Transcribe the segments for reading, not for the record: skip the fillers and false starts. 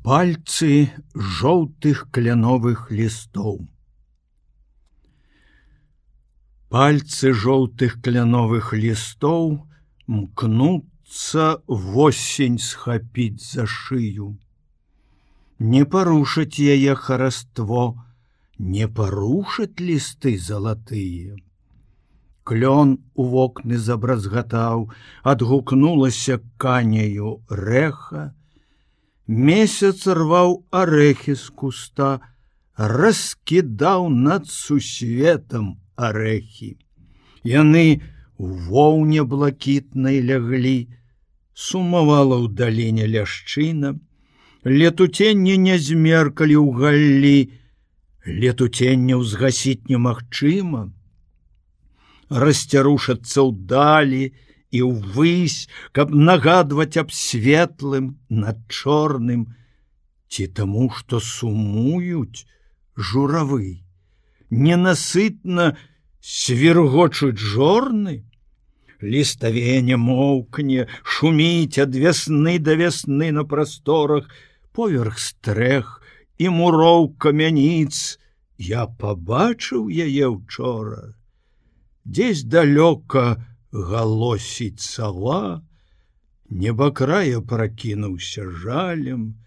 Пальцы жоўтых кляновых лістоў. Пальцы жоўтых кляновых лістоў мкнуцца восень схапіць за шыю. Не парушаць яе хараство, не парушаць лісты залатыя. Клён у вокны забразгатаў, адгукнулася каняю рэха. Месяц рваў арэхі з куста, раскідаў над сусветам арэхі. Яны у воўне блакітнай ляглі, сумавала ў даліне ляшчына. Летуценне не змеркалі ў галлі, летуценне ўзгасіць немагчыма. Расцярушацца ўдалі і ўвысь, каб нагадваць аб светлым над чорным, ці таму, што сумуюць журавы, ненасытна свіргочуць жорны. Ліставене моўкне, шуміць ад вясны да вясны на прасторах, поверх стрэх і муроў камяніц. Я пабачыў яе ўчора. Дзесь далёка галосіць сава, небакрая пракінуўся жалем.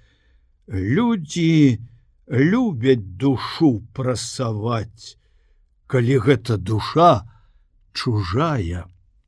Людзі любяць душу прасаваць, калі гэта душа чужая.